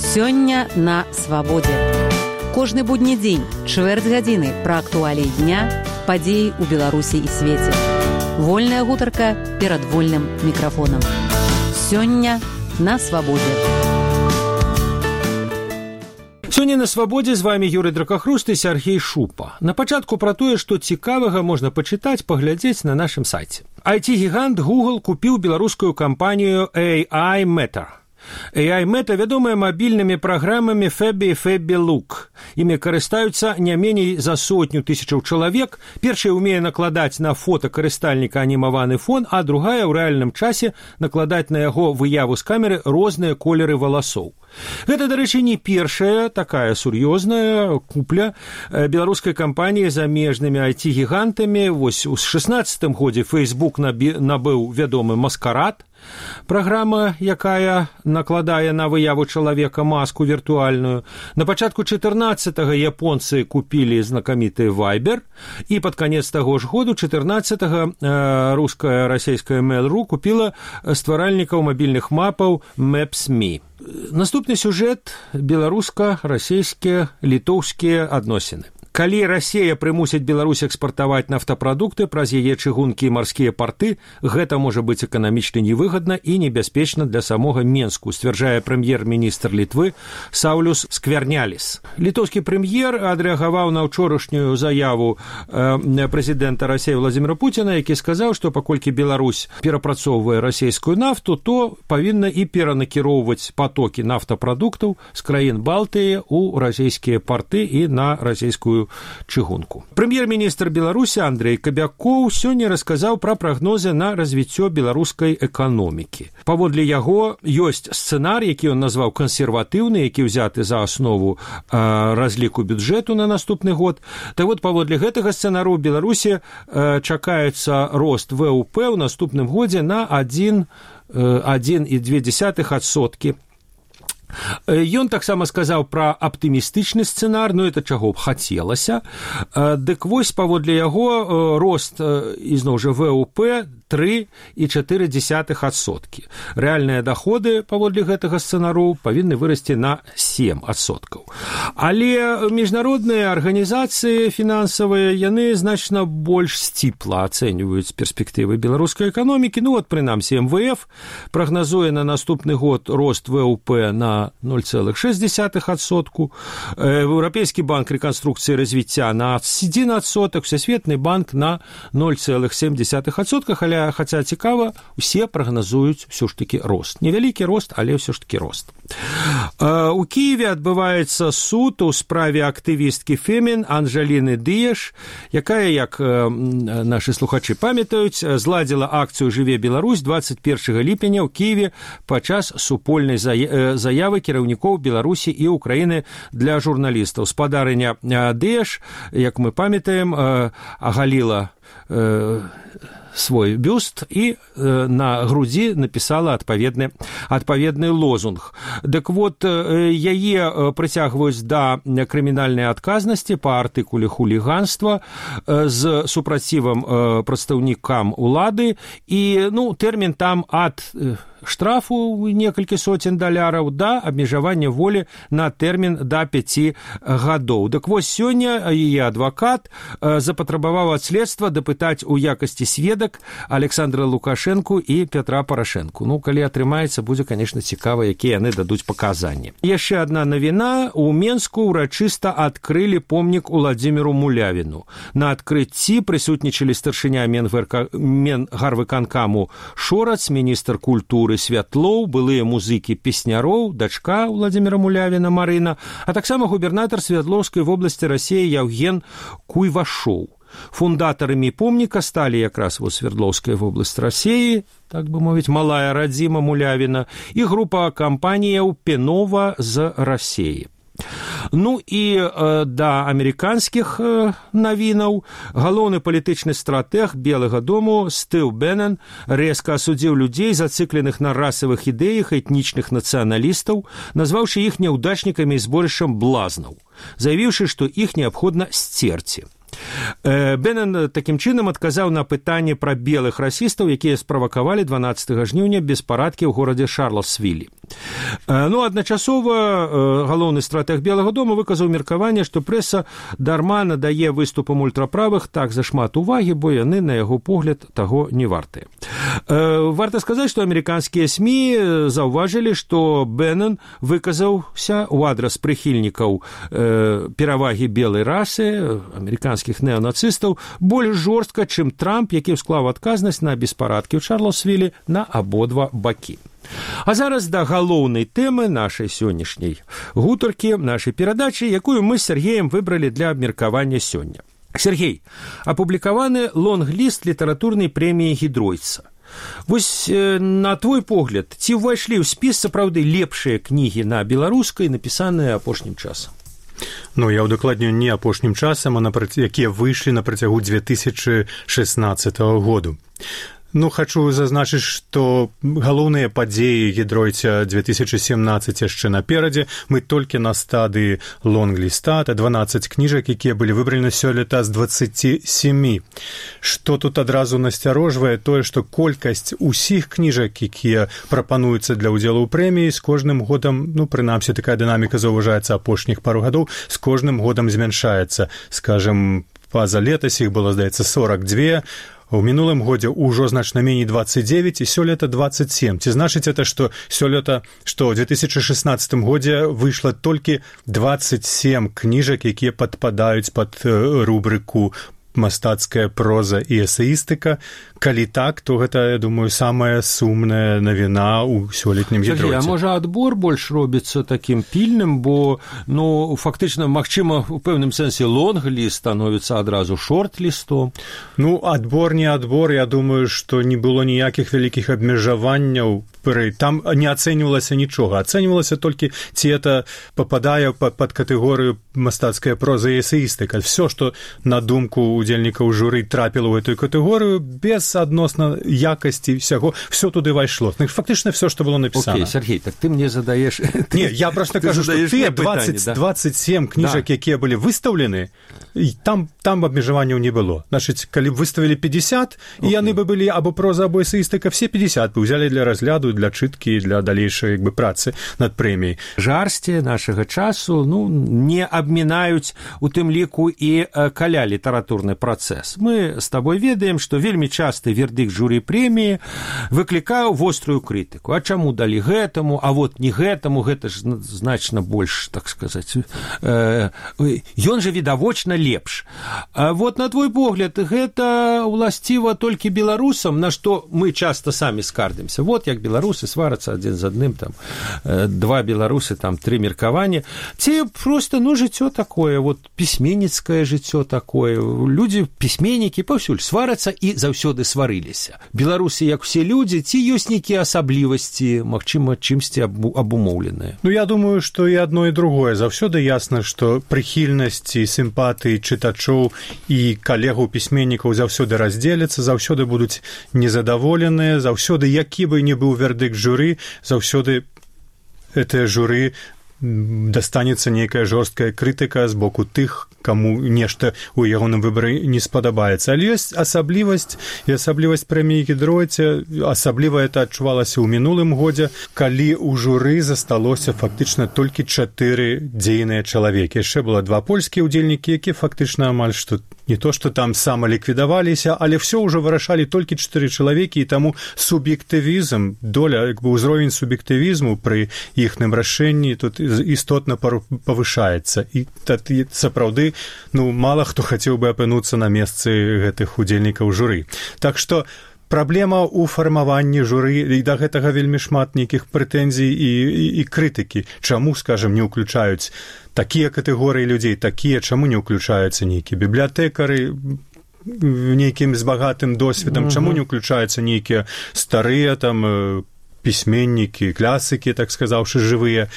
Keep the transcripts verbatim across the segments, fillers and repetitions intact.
Сёння на свабодзе. Кожны будні дзень, чвэрць гадзіны пра актуаліі дня, падзеі ў Беларусі і свеце. Вольная гутарка перад вольным мікрафонам. Сёння на свабодзе. Сёння на свабодзе з вами Юрый Дракахруст і Сергей Шупа. На пачатку пра тое, што цікавага можна пачытаць, паглядзець на нашым сайце. ай ти-гігант Google купіў беларускую кампанію эй ай Meta. эй ай Meta вядомая мабільнымі праграмамі Fabby і Fabby Look. Імі карыстаюцца не меней за сотню тысячаў чалавек. Першая ўмее накладаць на фота карыстальніка анімаваны фон, а другая ў рэальным часе накладаць на яго выяву з камеры розныя колеры валасоў. Гэта, дарэчы, не першая такая сур'ёзная купля беларускай кампаніі замежнымі ай ти-гігантамі. Вось у шэснаццатым годзе Facebook набыў вядомы Маскарад, праграма, якая накладае на выяву чалавека маску віртуальную. На пачатку чатырнаццатага японцы купілі знакаміты Viber, і пад канец таго ж году, чатырнаццатага, руская расійская Mail.ru купіла стваральнікаў мабільных мапаў Maps.me. Наступны сюжэт – беларуска-расійскія літоўскія адносіны. Калі Расія прымусіць Беларусь экспартаваць нафтапрадукты праз яе чыгункі і марскія парты, гэта можа быць эканамічна невыгадна і небяспечна для самога Менску, сцвярджае прэм'ер-міністр Літвы Саўлюс Скверняліс. Літоўскі прэм'ер адрэагаваў на ўчорашнюю заяву э, прэзідэнта Расіі Владзіміра Пуціна, які сказаў, што паколькі Беларусь перапрацоўвае расійскую нафту, то павінна і перанакіроўваць патокі нафтапрадуктаў з краін Балтыі ў расійскія парты і на расійскую чыгунку. Прэм'ер-міністр Беларусі Андрэй Кабякоў сёння расказаў пра прагнозы на развіццё беларускай эканомікі. Паводле яго ёсць сцэнар, які ён назваў кансерватыўны, які ўзяты за аснову э, разліку бюджэту на наступны год. Так вот, паводле гэтага сцэнару ў Беларусі э, чакаецца рост вэ у пэ ў наступным годзе на адзін і дзве дзесятых адсоткі. Ён таксама сказаў пра аптымістычны сцэнар, ну это чаго б хацелася. Дык вось, паводле яго, рост, ізноў жа, вэ у пэ тры і чатыры дзесятых адсоткі. Рэальныя даходы, паводле гэтага сцэнару, павінны вырасці на сем адсоткаў. Але міжнародныя арганізацыі фінансавыя, яны значна больш сціпла ацэньваюць перспектывы беларускай эканомікі. Ну вот, прынамсі, эм вэ эф прагназуе на наступны год рост вэ у пэ на ноль цэлых шэсць дзесятых адсотку, Еўрапейскі банк рэканструкцыі і развіцця на адзін адсотак, Всесветны банк на ноль цэлых сем дзесятых адсотка, але хаця цікава, усе прагназуюць ўсё ж такі рост. Невялікі рост, але ўсё ж такі рост. У Кіеве адбываецца суд у справе актывісткі Фемін Анжаліны Дыяш, якая, як нашы слухачы памятаюць, зладзіла акцыю «Жыве Беларусь» дваццаць першага ліпеня ў Кіеве падчас супольнай заявы кіраўнікоў Беларусі і Украіны для журналістаў. Спадарыня Дыяш, як мы памятаем, агаліла свой бюст і э, на грудзі напісала адпаведны, адпаведны лозунг. Дык вот, э, яе прыцягваюць да крымінальнай адказнасці па артыкуле хуліганства э, з супрацівам э, прадстаўнікам улады, і ну, тэрмін там ад э, штрафу некалькі соцень даляраў да абмежавання волі на тэрмін да пяці гадоў. Дык вось, сёння яе адвакат э, запатрабаваў ад следства дапытаць у якасці сведак Александра Лукашэнку і Пятра Парашэнку. Ну, калі атрымаецца, будзе, конечно, цікава, якія яны дадуць паказанні. Яшчэ адна навіна. У Менску ўрачыста адкрылі помнік Уладзіміру Мулявіну. На адкрыцці прысутнічалі старшыня Менгарвыканкаму Шорац, міністр культуры Святлоў, былыя музыкі песняроў, дачка Уладзіміра Мулявіна Марына, а таксама губернатар Свердлоўскай вобласці Расіі Яўген Куйвашоў. Фундатарамі помніка сталі якраз во Свердлоўская вобласць Расіі, так бы мовіць, малая радзіма Мулявіна, і група кампаніяў Пенова з Расіі. Ну і э, да амерыканскіх э, навінаў. Галоўны палітычны стратэг Белага дому Стыў Беннен рэзка асудзіў людзей, зацыкленых на расавых ідэях этнічных нацыяналістаў, назваўшы іх няўдачнікамі і зборышчам блазнаў, заявіўшы, што іх неабходна сцерці. Беннен такім чынам адказаў на пытанне пра белых расістаў, якія справакавалі дванаццатага жніўня беспарадкі ў горадзе Шарлоттсвілі. Ну, адначасова галоўны стратэг Белага дома выказаў меркаванне, што прэса дарма надае выступам ультраправых так зашмат увагі, бо яны, на яго погляд, таго не вартыя. Варта сказаць, што амерыканскія СМІ заўважылі, што Беннен выказаўся ў адрас прыхільнікаў перавагі белай расы, амерыканскіх неонацыстаў, больш жорстка, чым Трамп, які ўсклаў адказнасць на беспарадкі ў Шарлоттсвілі на абодва бакі. А зараз да галоўнай тэмы нашай сённяшняй гутаркі, нашай перадачы, якую мы з Сергеем выбралі для абмеркавання сёння. Сергей, апублікаваны лонг-ліст літаратурнай прэміі Гідройца. Вось, на твой погляд, ці ўвайшлі ў спіс сапраўды лепшыя кнігі на беларускай, напісаныя апошнім часам? Ну, я ўдакладню не апошнім часам, а напраці, якія выйшлі на працягу две тысячы шестнадцатага году. Ну, хачу зазначыць, што галоўныя падзеі Гідройца две тысячи семнадцать яшчэ наперадзе. Мы толькі на стадыі лонг-ліста, это дванаццаць кніжак, якія былі выбраны сёлета з дваццаці сямі. Што тут адразу насцярожвае тое, што колькасць усіх кніжак, якія прапануюцца для ўдзелу ў прэміі, з кожным годам, ну, прынамсі, такая дынаміка заўважаецца апошніх пару гадоў, з кожным годам змяншаецца. Скажем, па-за летась іх было, здаецца, сорок два. У мінулым годзе ўжо значна меней двадцать девять, і сёлета двадцать семь. Ці значыць это, што сёлета, што ў две тысячи шестнадцатым годзе выйшла толькі двадцать семь кніжак, якія падпадаюць пад рубрыку мастацкая проза і эсеістыка. Калі так, то гэта, я думаю, самая сумная навіна ў сёлетнім Гідройце. А можа, адбор больш робіцца такім пільным, бо, ну, фактычна, магчыма, у пэўным сэнсе лонг-ліст становіцца адразу шорт-лістом? Ну, адбор не адбор, я думаю, што не было ніякіх вялікіх абмежаванняў. Там не ацэньвалася нічога. Ацэньвалася толькі, ці это пападае пад катэгорыю мастацкая проза і эсеістыка. Всё, што на думку удзельнікаў журы трапіла ў гэтую катэгорыю, без адносна якасці всяго, все туды вайшло. Фактычна все, што было напісана. Окей, Сергей, так ты мне задаеш... Не, я просто кажу, што тыя двадцать семь кніжак, да, якія былі выстаўлены, там, там абмежаванняў не было. Значыць, калі б выставілі пятьдесят, okay, і яны бы былі або проза, або эсеістыка, все пятьдесят бы ўзялі для разгляду, для чыткі, для далейшай, як бы, працы над прэміяй. Жарсці нашага часу, ну, не абмінаюць у тым ліку і каля літаратурны працэс. Мы з табой ведаем, што вельмі часты вердыкт журы прэміі выклікаў вострую крытыку. А чаму далі гэтаму, а вот не гэтаму, гэта ж значна больш, так сказаць, э, ён жа відавочна лепш. А вот, на твой погляд, гэта уласціва толькі беларусам, на што мы часта самі скардзімся. Вот як беларусы сварацца адзін з адным, там, два беларусы, там, тры меркаванні. Ці проста, ну, жыццё такое, вот, пісьменніцкае жыццё такое. Людзі, пісьменнікі паўсюль сварацца і заўсёды сварыліся. Беларусы, як усе людзі, ці ёсць нейкія асаблівасці, магчыма, чымсьці абумоўленыя? Ну, я думаю, што і адно, і другое. Заўсёды ясна, што прыхільнасць і сімпатыі чытачоў і калегаў пісьменнікаў заўсёды раздзеляцца, заўсёды будуць незадаволеныя, заўсёды, які бы не быў вердыкт журы, заўсёды гэтае журы дастанецца нейкая жорсткая крытыка з боку тых, каму нешта ў ягоным выбары не спадабаецца. Але ёсць асаблівасць, і асаблівасць прэміі Гідройца, асабліва это адчувалася ў мінулым годзе, калі ў журы засталося фактычна толькі чатыры дзейныя чалавекі. Яшчэ было два польскія ўдзельнікі, якія фактычна амаль што не то, што там самаліквідаваліся, але ўсё ўжо вырашалі толькі чатыры чалавекі, і таму суб'ектывізм, доля, як бы ўзровень суб'ектывізму пры іхным рашэнні тут істотна павышаецца. І сапраўды, ну, мала хто хацеў бы апынуцца на месцы гэтых удзельнікаў журы. Так што праблема ў фармаванні журы, і да гэтага вельмі шмат нейкіх прэтэнзій і, і, і крытыкі. Чаму, скажем, не ўключаюць такія катэгорыі людзей, такія, чаму не ўключаюцца нейкія бібліятэкары, нейкім з багатым досведам, uh-huh. чаму не ўключаюцца нейкія старыя там пісьменнікі, класыкі, так сказаўшы, жывыя.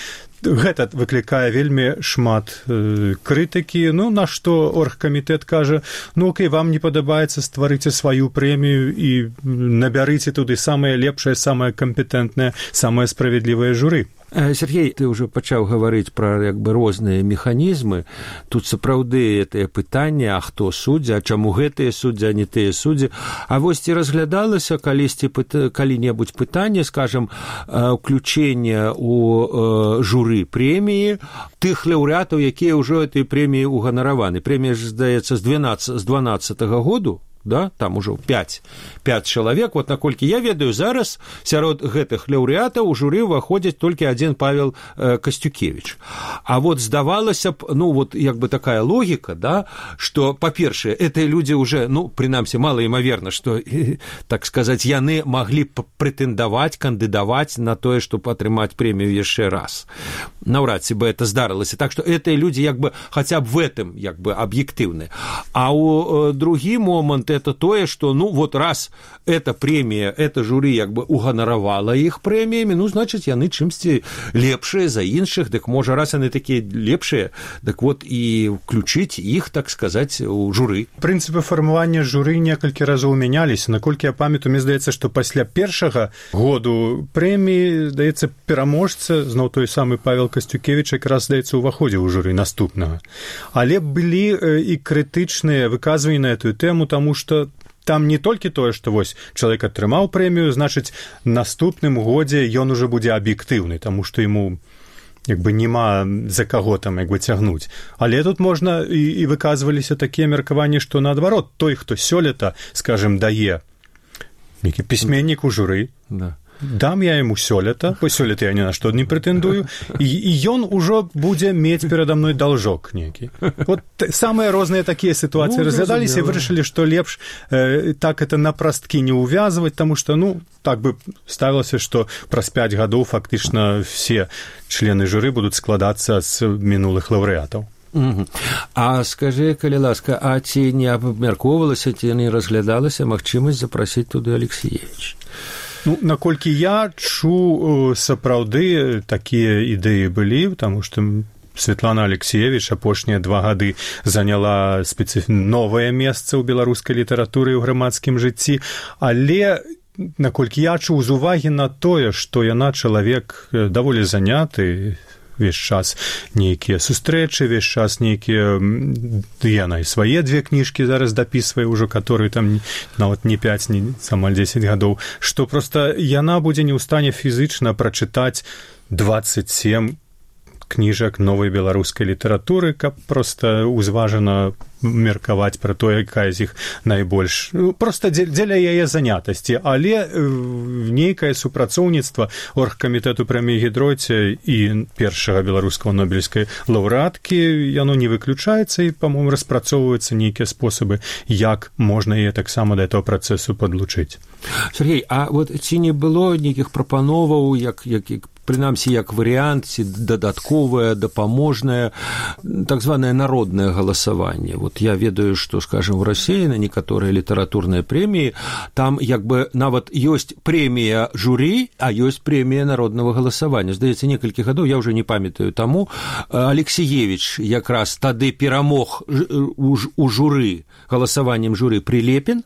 Гэта выклікае вельмі шмат э, крытыкі. Ну, на што оргкамітэт кажа, ну, окей, вам не падабаецца, стварыце сваю прэмію і набярыце туды самае лепшае, самае кампетэнтнае, самае справядлівае журы. Сергей, ты ўжо пачаў гаварыць пра як бы розныя механізмы. Тут сапраўды гэтае пытанне, а хто суддзя, а чаму гэтыя суддзі, а не тыя суддзі. А вось ці разглядалася калісьці калі-небудзь пытанне, скажам, ўключэння ў журы прэміі тых лаўрэатаў, якія ўжо этой прэміі уганараваны. Прэмія ж, здаецца, з дванаццатага году, да, там ужо пяць чалавек. Вот наколькі я ведаю, зараз сярод гэтых лаўрэатаў у журы ўваходзіць толькі адзін Павел э, Касцюкевіч. А вот здавалася б, ну вот як бы такая логіка, да, што, па-першае, гэтыя людзі уже, ну, прынамсі, малаімаверна, што, э, так сказаць, яны маглі б прэтэндаваць, кандыдаваць на тое, чтобы атрымаць прэмію яшчэ раз. Наўрад ці бы это здарылася. Так што гэтыя людзі як бы хаця б в этом як бы аб'ектыўны. А ў э, другі момант это тое, что, ну, вот раз эта премия, это жюри як бы уганаравала их премиями, ну, значит, яны чымсьці лепшие за іншых, дык можа, раз яны такие лепшие, дык вот и включить их, так сказать, у жюри. Принципы фармавання жюри некалькі разоў мяняліся. Наколькі я памятаю, мне здаецца, што пасля першага году прэміі, здаецца, пераможца, зноў той самы Павел Касцюкевіч, якраз, здаецца, уваходзіў у жюри наступнага. Але былі і крытычныя выказванні на эту тэму, таму што там не толькі тое, што вось чалавек атрымаў прэмію, значыць, наступным годзе ён ужо будзе аб'ектыўны, таму што яму як бы няма за каго там як бы цягнуць. Але тут можна і, і выказваліся такія меркаванні, што наадварот, той, хто сёлета, скажем, дае нейкі пісьменнік у журы, да. Дам я яму сёлета, бо сёлета я ні на што не прэтэндую, і, і ён ужо будзе мець перада мной должок нейкі. Вот самыя розныя такія сітуацыі ну, разглядаліся і вырашылі, што лепш э, так это на прасткі не ўвязваць, таму што, ну, так бы ставілася, што праз пяць гадоў фактычна все члены журы будуць складацца з мінулых лаўрэатаў. Угу. А скажи, калі ласка, а ці не абмяркоўвалася, ці не разглядалася магчымасць запрасіць туды Алексеевич? Ну, наколькі я чу, сапраўды такія ідэі былі, таму што Светлана Алексеевич апошнія два гады заняла спецыф... новае месца ў беларускай літаратуры і ў грамадскім жыцці, але наколькі я чуў з увагі на тое, што яна чалавек даволі заняты, весь час нейкія сустрэчы, весь час нейкія, яна і свае две кніжкі зараз дапісвае ўжо, которые там нават не пяць, не амаль дзесяць гадоў, што проста яна будзе не ў стане фізычна прачытаць дваццаць сем кніжак новай беларускай літаратуры, каб проста узважана меркаваць пра тое, якая з іх найбольш. Проста дзеля яе занятасці, але нейкае супрацоўніцтва оргкамітэту прэміі Гідройце і першага беларускага нобелевскай лаўрэаткі, яно не выключаецца і, па-моему, распрацоўваюцца нейкія спосабы, як можна яе таксама да этого працэсу падлучыць. Сергей, а вот ці не было нейкіх прапановаў, як, як, прынамсі, як варыянт, ці дадатковае, дапаможнае, так званае народнае галасаванне. Вот я ведаю, что, скажем, в России на некоторые литературные премии, там як бы нават ёсць прэмія жюри, а ёсць прэмія народного голосования. Здаецца, некалькі гадоў, я уже не памятаю таму, Алексеевич якраз тады перамог у жюри, голосованием жюри Прилепин,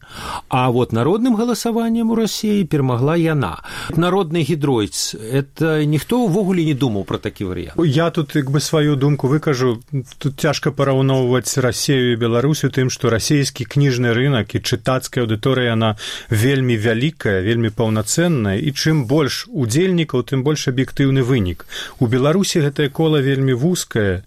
а вот народным голосованием у России перамагла яна. Народный Гідройц, это ніхто ўвогуле не думаў про такі варыянт. Я тут як бы сваю думку выкажу. Тут цяжка параўноўваць Расію і Беларусю тым, што расійскі кніжны рынак і чытацкая аўдыторыя, яна вельмі вялікая, вельмі паўнацэнная, і чым больш удзельнікаў, тым больш аб'ектыўны вынік. У Беларусі гэтае кола вельмі вузкае,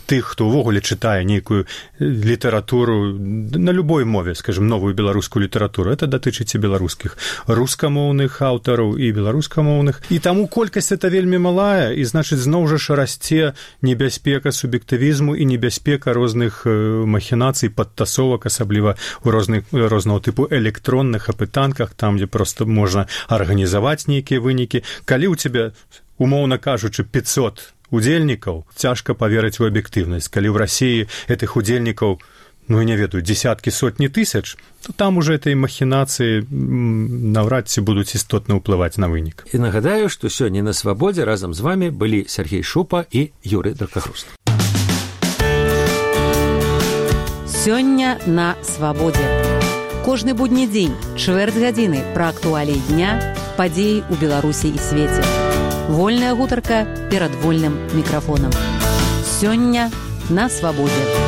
тых, хто ўвогуле чытае нейкую літаратуру на любой мове, скажем, новую беларускую літаратуру. Это датычыць і беларускіх рускамоўных аўтараў і беларускамоўных. І таму колькасць это вельмі малая, і, значыць, зноў жа расце небяспека суб'ектывізму і небяспека розных махінацый, падтасовак, асабліва ў розных, рознага тыпу электронных апытанках, там, дзе проста можна арганізаваць нейкія вынікі. Калі ў цябе, умоўна кажучы, пятьсот удзельнікаў, цяжка паверыць у аб'ектыўнасць. Калі ў Расіі гэтых удзельнікаў ну, я не ведаю, десяткі, сотні тысяч, то там уже этой махінацыі наўрад ці будуць істотна ўплываць на вынік. І нагадаю, што сёння на Свабодзе разам з вамі былі Сергей Шупа і Юрый Дракахруст. Сёння на Свабодзе. Кожны будні дзень, чвэрць гадзіны пра актуаліі дня, падзеі ў Беларусі і свеце. Вольная гутарка перад вольным мікрафонам. Сёння на Свабодзе.